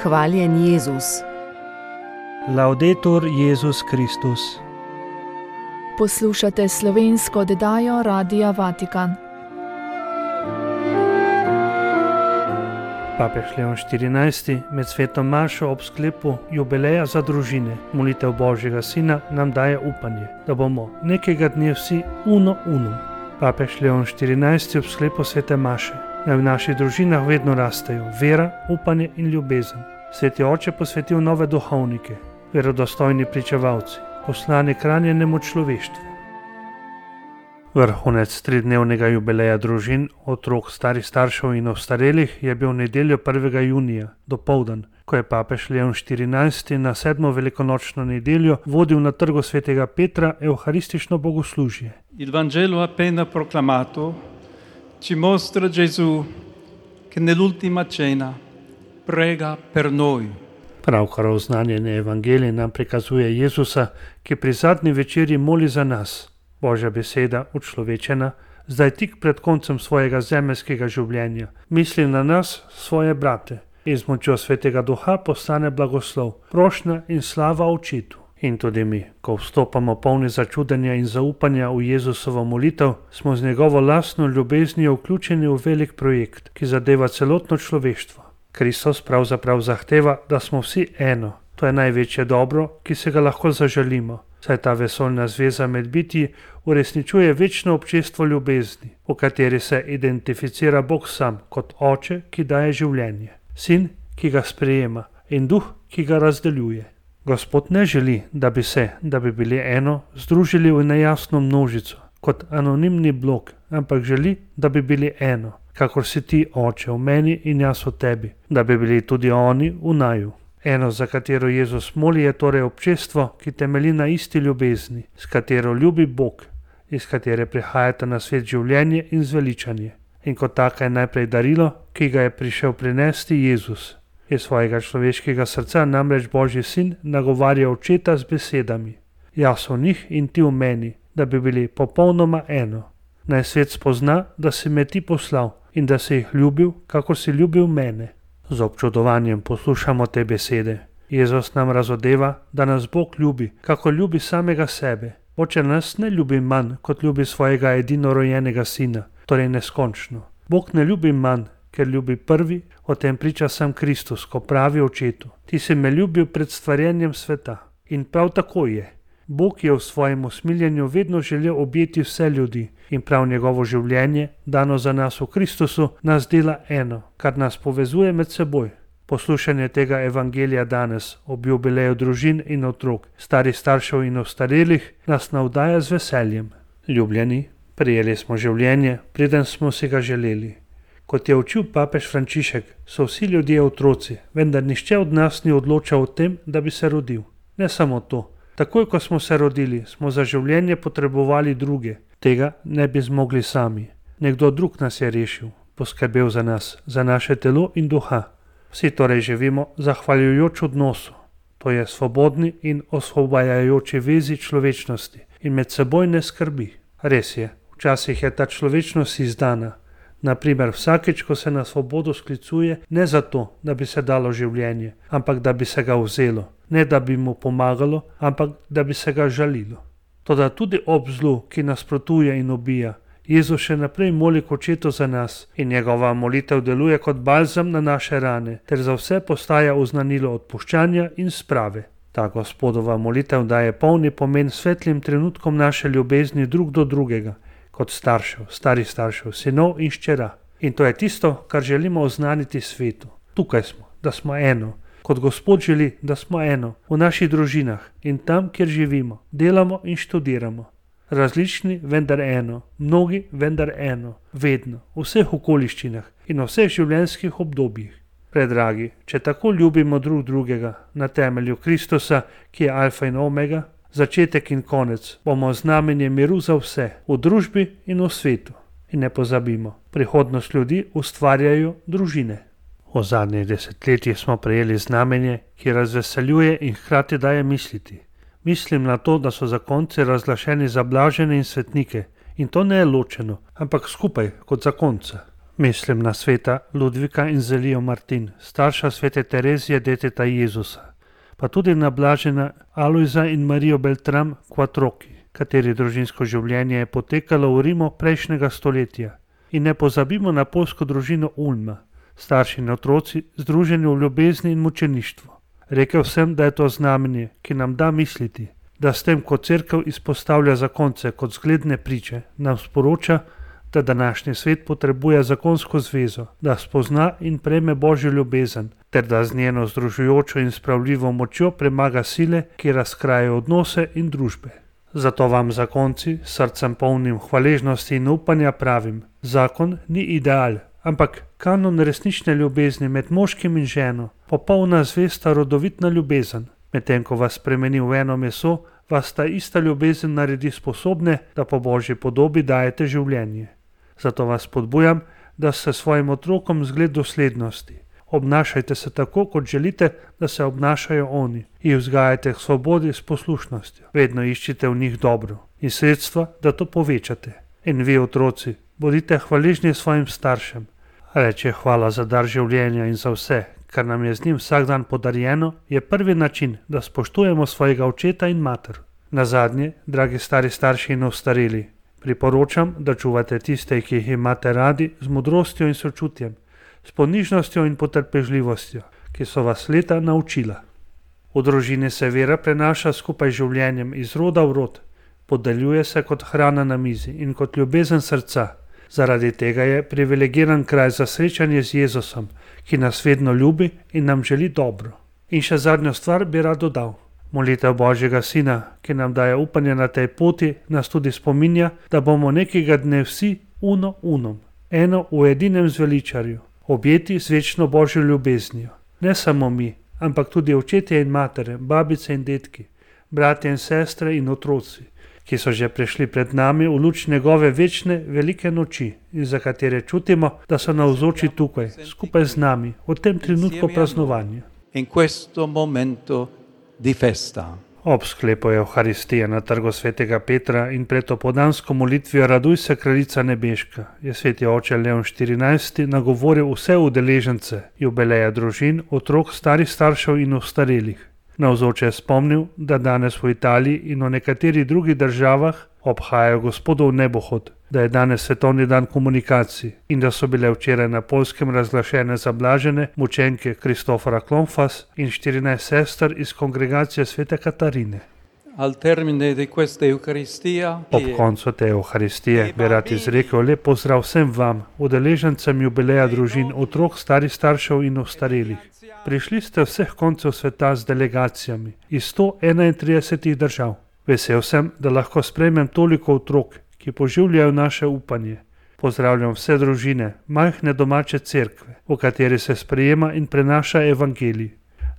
Hvaljen Jezus. Laudetur Jezus Kristus. Poslušate slovensko oddajo Radia Vatikan. Papež Leon XIV med sveto mašo ob sklepu jubileja za družine, molitev Božjega Sina, nam daje upanje, da bomo nekega dne vsi uno unum. Papež Leon XIV ob sklepu svete maše naj v naših družinah vedno rastejo vera, upanje in ljubezen. Sveti oče posvetil nove duhovnike, verodostojni pričevalci, poslani k ranjenemu človeštvu. Vrhunec tridnevnega jubileja družin, otrok, starih staršev in ostarelih je bil nedeljo 1. junija, dopoldan, ko je papež Leon XIV na 7. velikonočno nedeljo vodil na trgu svetega Petra evharistično bogoslužje. Il Vangelo appena proclamato ci mostra Gesù che nell'ultima cena prega per noi. Pravkar oznanjeni evangelij nam prikazuje Jezusa, ki pri zadnji večerji moli za nas. Božja beseda, učlovečena, zdaj tik pred koncem svojega zemeljskega življenja, misli na nas, svoje brate, in z močjo svetega duha postane blagoslov, prošnja in slava Očetu. In tudi mi, ko vstopamo polni začudenja in zaupanja v Jezusovo molitev, smo z njegovo lastno ljubeznijo vključeni v velik projekt, ki zadeva celotno človeštvo. Kristus pravzaprav zahteva, da smo vsi eno. To je največje dobro, ki se ga lahko zaželimo, saj ta vesoljna zveza med bitji uresničuje večno občestvo ljubezni, v kateri se identificira Bog sam kot oče, ki daje življenje, sin, ki ga sprejema, in duh, ki ga razdeljuje. Gospod ne želi, da bi bili eno, združili v nejasno množico, kot anonimni blok, ampak želi, da bi bili eno, kakor si ti, oče, v meni in jaz v tebi, da bi bili tudi oni v naju. Eno, za katero Jezus moli, je torej občestvo, ki temelji na isti ljubezni, s katero ljubi Bog, iz katere prihajata na svet življenje in zveličanje. In kot taka je najprej darilo, ki ga je prišel prinesti Jezus. Iz svojega človeškega srca namreč Božji sin nagovarja Očeta z besedami: jaz v njih in ti v meni, da bi bili popolnoma eno. Naj svet spozna, da si me ti poslal in da si jih ljubil, kakor si ljubil mene. Z občudovanjem poslušamo te besede. Jezus nam razodeva, da nas Bog ljubi, kako ljubi samega sebe. Oče nas ne ljubi manj, kot ljubi svojega edinorojenega sina, torej neskončno. Bog ne ljubi manj, ker ljubi prvi, o tem priča sam Kristus, ko pravi Očetu: ti si me ljubil pred stvarjenjem sveta. In prav tako je. Bog je v svojem usmiljenju vedno želel objeti vse ljudi in prav njegovo življenje, dano za nas v Kristusu, nas dela eno, kar nas povezuje med seboj. Poslušanje tega evangelija danes, ob jubileju družin in otrok, starih staršev in ostarelih, nas navdaja z veseljem. Ljubljeni, prijeli smo življenje, preden smo si ga želeli. Kot je učil papež Frančišek, so vsi ljudje otroci, vendar nihče od nas ni odločal o tem, da bi se rodil. Ne samo to. Takoj, ko smo se rodili, smo za življenje potrebovali druge. Tega ne bi zmogli sami. Nekdo drug nas je rešil, poskrbel za nas, za naše telo in duha. Vsi torej živimo zahvaljujoč odnosu. To je svobodni in osvobajajoči vezi človečnosti in medsebojne skrbi. Res je, včasih je ta človečnost izdana. Naprimer, vsakeč, ko se na svobodo sklicuje, ne zato, da bi se dalo življenje, ampak da bi se ga vzelo, ne da bi mu pomagalo, ampak da bi se ga žalilo. Toda tudi ob zlu, ki nasprotuje in ubija, Jezus še naprej moli k Očetu za nas in njegova molitev deluje kot balzam na naše rane, ter za vse postaja oznanilo odpuščanja in sprave. Ta Gospodova molitev daje polni pomen svetlim trenutkom naše ljubezni drug do drugega, kot staršev, starih staršev, sinov in hčera. In to je tisto, kar želimo oznaniti svetu. Tukaj smo, da smo eno, kot Gospod želi, da smo eno, v naših družinah in tam, kjer živimo, delamo in študiramo. Različni, vendar eno, mnogi, vendar eno, vedno, v vseh okoliščinah in v vseh življenjskih obdobjih. Predragi, če tako ljubimo drug drugega na temelju Kristusa, ki je alfa in omega, začetek in konec, bomo znamenje miru za vse, v družbi in v svetu. In ne pozabimo, prihodnost ljudi ustvarjajo družine. V zadnjih desetletjih smo prejeli znamenje, ki razveseljuje in hkrati daje misliti. Mislim na to, da so zakonci razglašeni za blažene in svetnike, in to ne je ločeno, ampak skupaj kot zakonca. Mislim na sveta Ludvika in Zelijo Martin, starša svete Terezije deteta Jezusa, pa tudi na blažena Alojza in Marijo Beltram Quattrochi, kateri družinsko življenje je potekalo v Rimu prejšnjega stoletja. In ne pozabimo na poljsko družino Ulma, starši in otroci združeni v ljubezni in mučeništvu. Rekel sem, da je to znamenje, ki nam da misliti, da s tem, ko cerkev izpostavlja zakonce kot zgledne priče, nam sporoča, da današnji svet potrebuje zakonsko zvezo, da spozna in prejme Božjo ljubezen, ter da z njeno združujočo in spravljivo močjo premaga sile, ki razkrajajo odnose in družbe. Zato vam, zakonci, s srcem polnim hvaležnosti in upanja pravim, zakon ni ideal, ampak kanon resnične ljubezni med moškim in ženo, popolna zvesta rodovitna ljubezen. Medtem ko vas spremeni v eno meso, vas ta ista ljubezen naredi sposobne, da po Božji podobi dajete življenje. Zato vas spodbujam, da ste svojim otrokom zgled doslednosti. Obnašajte se tako, kot želite, da se obnašajo oni. Jih vzgajajte k svobodi s poslušnostjo. Vedno iščite v njih dobro in sredstva, da to povečate. In vi, otroci, bodite hvaležni svojim staršem. Reče hvala za dar življenja in za vse, kar nam je z njim vsak dan podarjeno, je prvi način, da spoštujemo svojega očeta in mater. Nazadnje, dragi stari starši in ostareli, priporočam, da čuvate tiste, ki jih imate radi, z modrostjo in sočutjem, s ponižnostjo in potrpežljivostjo, ki so vas leta naučila. V družini se vera prenaša skupaj z življenjem iz roda v rod, podeljuje se kot hrana na mizi in kot ljubezen srca. Zaradi tega je privilegiran kraj za srečanje z Jezusom, ki nas vedno ljubi in nam želi dobro. In še zadnjo stvar bi rad dodal. Molitev Božjega Sina, ki nam daje upanje na tej poti, nas tudi spominja, da bomo nekega dne vsi uno unum, eno v edinem zveličarju, objeti z večno Božjo ljubeznijo. Ne samo mi, ampak tudi očetje in matere, babice in detki, bratje in sestre in otroci, ki so že prišli pred nami v luč njegove večne velike noči in za katere čutimo, da so navzoči tukaj, skupaj z nami, v tem trenutku praznovanja. In questo momento di festa. Ob sklepu Evharistije na trgu svetega Petra in pred opoldansko molitvijo Raduj se, kraljica nebeška, je sveti oče Leon XIV nagovoril vse udeležence jubileja družin, otrok, starih staršev in ostarelih. Navzoče je spomnil, da danes v Italiji in v nekaterih drugih državah obhajajo Gospodov nebohod, da je danes svetovni dan komunikacij in da so bile včeraj na Poljskem razglašene za blažene mučenke Kristofora Klonfas in 14 sester iz kongregacije svete Katarine. Al termine di questa Eucaristia, Ob koncu te Evharistije bi rad izrekel lep pozdrav vsem vam, udeležencem jubileja družin, otrok, starih staršev in ostarelih. Prišli ste vseh koncev sveta z delegacijami iz 131 držav. Vesel sem, da lahko sprejmem toliko otrok, ki poživljajo naše upanje. Pozdravljam vse družine, majhne domače cerkve, v kateri se sprejema in prenaša evangelij.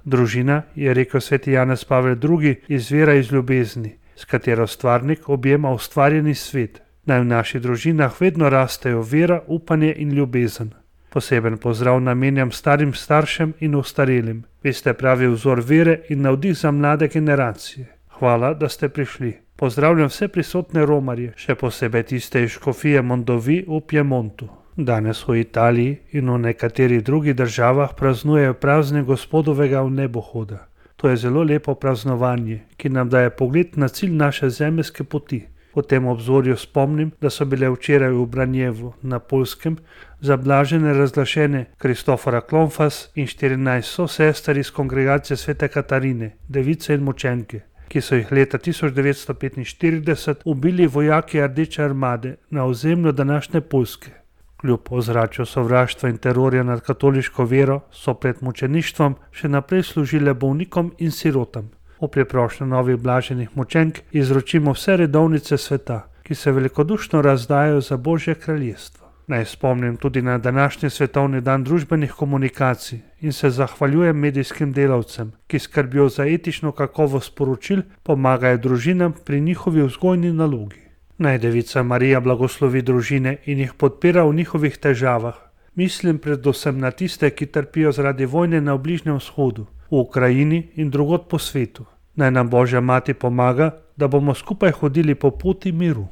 Družina, je rekel sveti Janez Pavel II, izvira iz ljubezni, s katero stvarnik objema ustvarjeni svet. Naj v naših družinah vedno rastejo vera, upanje in ljubezen. Poseben pozdrav namenjam starim staršem in ostarelim. Vi ste pravi vzor vere in navdih za mlade generacije. Hvala, da ste prišli. Pozdravljam vse prisotne romarje, še posebej tiste iz škofije Mondovi v Piemontu. Danes v Italiji in v nekaterih drugih državah praznujejo praznik Gospodovega vnebohoda. To je zelo lepo praznovanje, ki nam daje pogled na cilj naše zemeljske poti. Po tem obzorju spomnim, da so bile včeraj v Branjevu na Poljskem zablažene razglašene Kristofora Klonfas in 14 sosester iz kongregacije svete Katarine, device in mučenke, ki so jih leta 1945 ubili vojaki Rdeče armade na ozemlju današnje Poljske. Kljub ozračju sovraštva in terorja nad katoliško vero so pred mučeništvom še naprej služile bolnikom in sirotam. V priprošnju novih blaženih mučenk izročimo vse redovnice sveta, ki se velikodušno razdajajo za Božje kraljestvo. Naj spomnim tudi na današnji svetovni dan družbenih komunikacij in se zahvaljujem medijskim delavcem, ki skrbijo za etično kakovost sporočil, pomagajo družinam pri njihovi vzgojni nalogi. Naj Devica Marija blagoslovi družine in jih podpira v njihovih težavah. Mislim predvsem na tiste, ki trpijo zaradi vojne na Bližnjem vzhodu, v Ukrajini in drugod po svetu. Naj nam Božja mati pomaga, da bomo skupaj hodili po poti miru.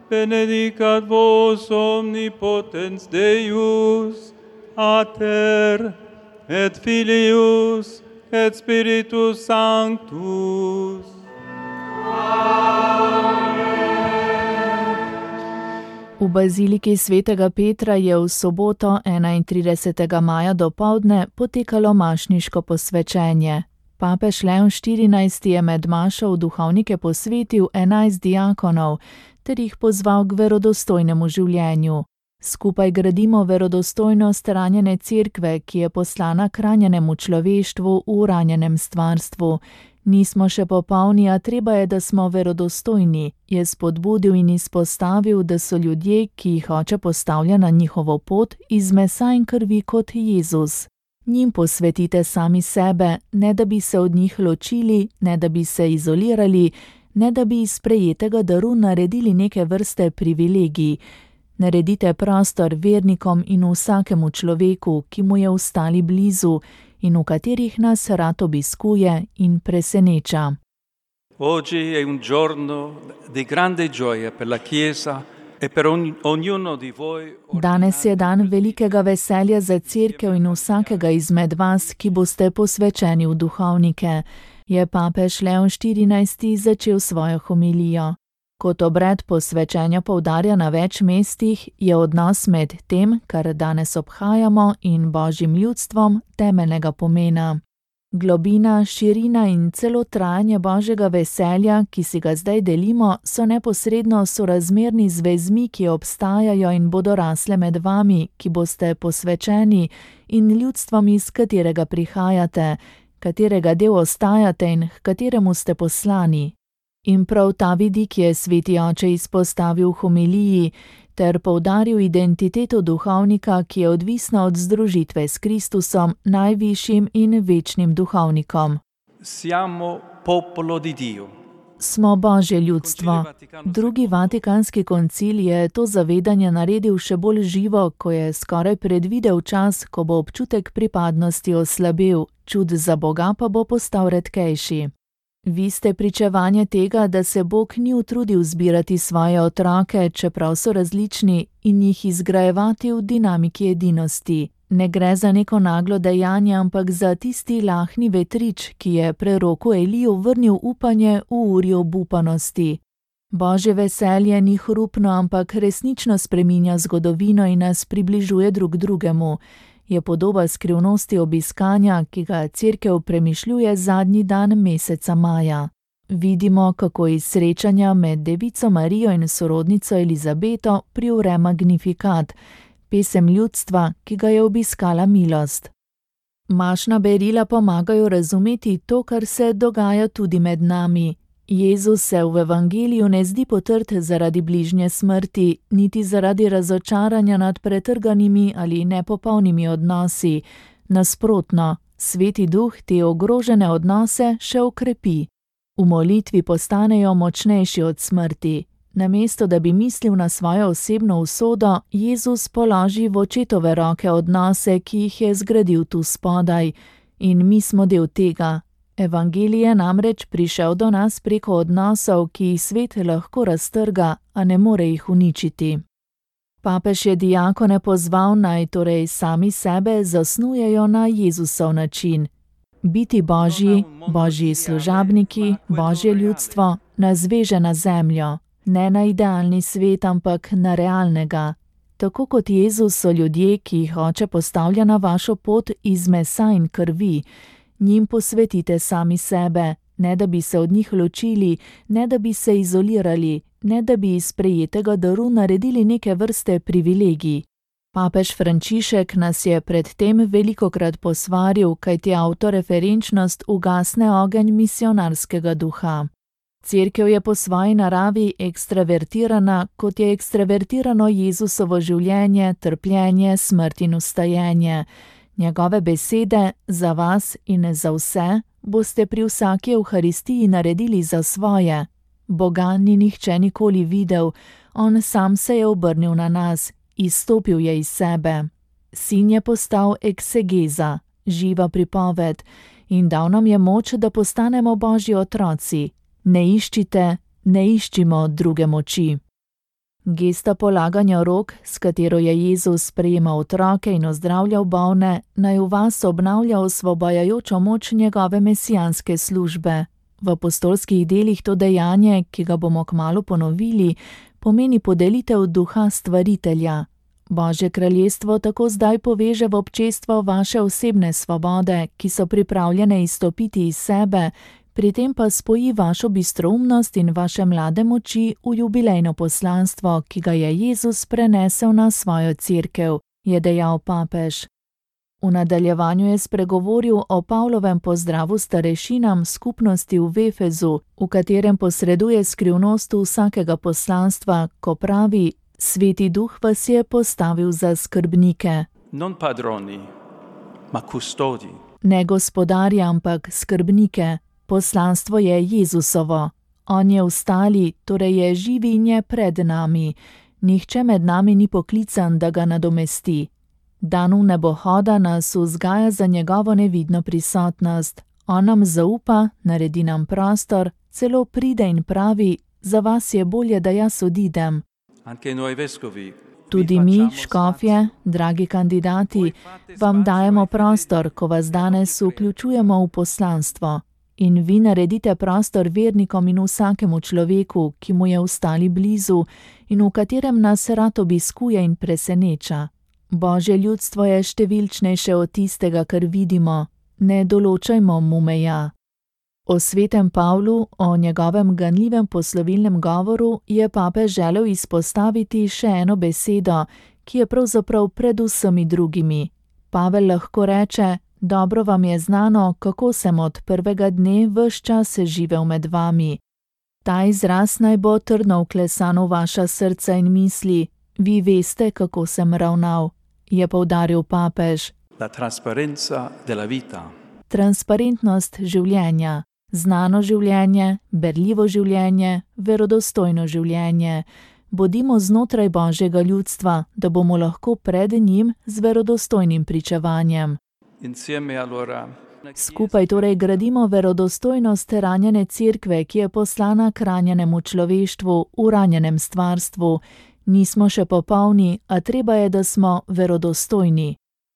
benedicat vos omnipotens Deus, Pater, et Filius, et Spiritus Sanctus. V baziliki svetega Petra je v soboto 31. maja dopoldne potekalo mašniško posvečenje. Papež Leon XIV je med mašo v duhovnike posvetil 11 diakonov ter jih pozval k verodostojnemu življenju. Skupaj gradimo verodostojnost ranjene cerkve, ki je poslana k ranjenemu človeštvu v ranjenem stvarstvu. Nismo še popolni, a treba je, da smo verodostojni, je spodbudil in izpostavil, da so ljudje, ki jih Oče postavlja na njihovo pot, iz mesa in krvi kot Jezus. Njim posvetite sami sebe, ne da bi se od njih ločili, ne da bi se izolirali, ne da bi iz sprejetega daru naredili neke vrste privilegij. Naredite prostor vernikom in vsakemu človeku, ki mu je ostali blizu in v katerih nas rad obiskuje in preseneča. Oggi è un giorno di grande gioia per la Chiesa e per ognuno di voi. Danes je dan velikega veselja za cerkev in vsakega izmed vas, ki boste posvečeni v duhovnike, je papež Leon XIV začel svojo homilijo. Kot obred posvečenja poudarja na več mestih, je odnos med tem, kar danes obhajamo, in Božjim ljudstvom temeljnega pomena. Globina, širina in celo trajanje Božjega veselja, ki si ga zdaj delimo, so neposredno sorazmerni z vezmi, ki obstajajo in bodo rasle med vami, ki boste posvečeni, in ljudstvom, iz katerega prihajate, katerega del ostajate in h kateremu ste poslani. In prav ta vidik je sveti oče izpostavil v homiliji ter poudaril identiteto duhovnika, ki je odvisna od združitve s Kristusom, najvišjim in večnim duhovnikom. Siamo popolo di Dio. Smo Božje ljudstvo. Drugi Vatikanski koncil je to zavedanje naredil še bolj živo, ko je skoraj predvidel čas, ko bo občutek pripadnosti oslabel, čud za Boga pa bo postal redkejši. Vi ste pričevanje tega, da se Bog ni utrudil zbirati svoje otroke, čeprav so različni, in jih izgrajevati v dinamiki edinosti. Ne gre za neko naglo dejanje, ampak za tisti lahni vetrič, ki je preroku Eliju vrnil upanje v uri obupanosti. Božje veselje ni hrupno, ampak resnično spreminja zgodovino in nas približuje drug drugemu. Je podoba skrivnosti obiskanja, ki ga cerkev premišljuje zadnji dan meseca maja. Vidimo, kako iz srečanja med Devico Marijo in sorodnico Elizabeto privre Magnificat, pesem ljudstva, ki ga je obiskala milost. Mašna berila pomagajo razumeti to, kar se dogaja tudi med nami. Jezus se v evangeliju ne zdi potrt zaradi bližnje smrti, niti zaradi razočaranja nad pretrganimi ali nepopolnimi odnosi. Nasprotno, Sveti Duh te ogrožene odnose še okrepi. V molitvi postanejo močnejši od smrti. Namesto da bi mislil na svojo osebno usodo, Jezus položi v očetove roke odnose, ki jih je zgradil tu spodaj. In mi smo del tega. Evangelij je namreč prišel do nas preko odnosov, ki jih svet lahko raztrga, a ne more jih uničiti. Papež je diakone pozval, naj torej sami sebe zasnujejo na Jezusov način. Biti Božji, Božji služabniki, Božje ljudstvo nas veže na zemljo, ne na idealni svet, ampak na realnega. Tako kot Jezus so ljudje, ki jih Oče postavlja na vašo pot iz mesa in krvi. Njim posvetite sami sebe, ne da bi se od njih ločili, ne da bi se izolirali, ne da bi iz sprejetega daru naredili neke vrste privilegij. Papež Frančišek nas je pred tem velikokrat posvaril, kajti avtoreferenčnost ugasne ogenj misionarskega duha. Cerkev je po svoji naravi ekstravertirana, kot je ekstravertirano Jezusovo življenje, trpljenje, smrt in vstajenje. Njegove besede za vas in za vse boste pri vsaki evharistiji naredili za svoje. Boga ni nihče nikoli videl, on sam se je obrnil na nas, izstopil je iz sebe. Sin je postal eksegeza, živa pripoved, in dal nam je moč, da postanemo Božji otroci. Ne iščite, ne iščimo druge moči. Gesta polaganja rok, s katero je Jezus sprejemal otroke in ozdravljal bolne, naj v vas obnavlja osvobajajočo moč njegove mesijanske službe. V apostolskih delih to dejanje, ki ga bomo kmalu ponovili, pomeni podelitev duha stvaritelja. Božje kraljestvo tako zdaj poveže v občestvo vaše osebne svobode, ki so pripravljene izstopiti iz sebe, pri tem pa spoji vašo bistroumnost in vaše mlade moči v jubilejno poslanstvo, ki ga je Jezus prenesel na svojo cerkev, je dejal papež. V nadaljevanju je spregovoril o Pavlovem pozdravu starešinam skupnosti v Efezu, v katerem posreduje skrivnost vsakega poslanstva, ko pravi: Sveti Duh vas je postavil za skrbnike. Non padroni, ma custodi. Ne gospodarje, ampak skrbnike. Poslanstvo je Jezusovo. On je vstali, torej je živi in je pred nami. Nihče med nami ni poklican, da ga nadomesti. Dan v nebohoda nas vzgaja za njegovo nevidno prisotnost. On nam zaupa, naredi nam prostor, celo pride in pravi: za vas je bolje, da jaz odidem. Tudi mi, škofje, dragi kandidati, vam dajemo prostor, ko vas danes vključujemo v poslanstvo. In vi naredite prostor vernikom in vsakemu človeku, ki mu je vstali blizu in v katerem nas rad obiskuje in preseneča. Božje ljudstvo je številčnejše od tistega, kar vidimo. Ne določajmo mu meja. O svetem Pavlu, o njegovem ganljivem poslovilnem govoru, je papež želel izpostaviti še eno besedo, ki je pravzaprav pred vsemi drugimi. Pavel lahko reče: dobro vam je znano, kako sem od prvega dne ves čas živel med vami. Ta izraz naj bo trdno vklesan v vaša srca in misli. Vi veste, kako sem ravnal, je poudaril papež. La trasparenza della vita. Transparentnost življenja. Znano življenje, berljivo življenje, verodostojno življenje. Bodimo znotraj Božjega ljudstva, da bomo lahko pred njim z verodostojnim pričevanjem. Skupaj torej gradimo verodostojnost ranjene cerkve, ki je poslana k ranjenemu človeštvu, v ranjenem stvarstvu. Nismo še popolni, a treba je, da smo verodostojni.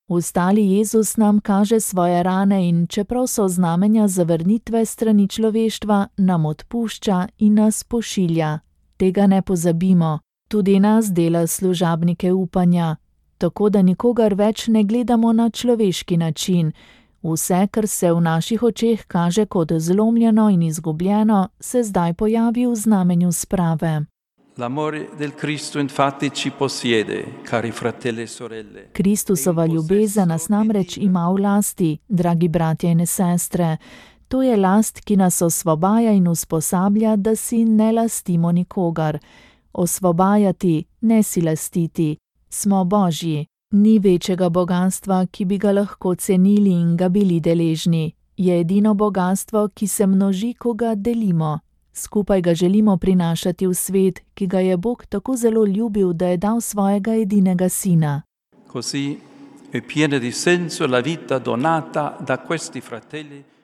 Vstali Jezus nam kaže svoje rane in čeprav so znamenja zavrnitve strani človeštva, nam odpušča in nas pošilja. Tega ne pozabimo. Tudi nas dela služabnike upanja. Tako da nikogar več ne gledamo na človeški način. Vse, kar se v naših očeh kaže kot zlomljeno in izgubljeno, se zdaj pojavi v znamenju sprave. L'amore del Cristo infatti ci possiede, cari fratelli e sorelle. Kristusova ljubezen nas namreč ima v lasti, dragi bratje in sestre. To je last, ki nas osvobaja in usposablja, da si ne lastimo nikogar. Osvobajati, ne si lastiti. Smo Božji. Ni večjega bogastva, ki bi ga lahko cenili in ga bili deležni. Je edino bogastvo, ki se množi, ko ga delimo. Skupaj ga želimo prinašati v svet, ki ga je Bog tako zelo ljubil, da je dal svojega edinega sina.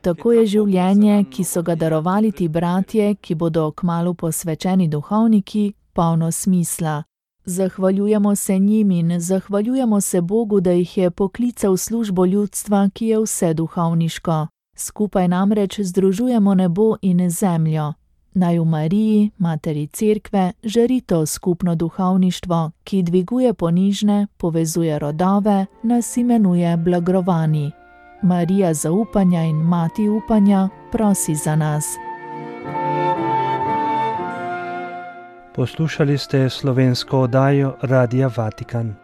Tako je življenje, ki so ga darovali ti bratje, ki bodo kmalu posvečeni duhovniki, polno smisla. Zahvaljujemo se njim in zahvaljujemo se Bogu, da jih je poklical v službo ljudstva, ki je vse duhovniško. Skupaj namreč združujemo nebo in zemljo. Naj v Mariji, Materi Cerkve, žari to skupno duhovništvo, ki dviguje ponižne, povezuje rodove, nas imenuje blagrovani. Marija zaupanja in Mati upanja, prosi za nas. Poslušali ste slovensko oddajo Radia Vatikan.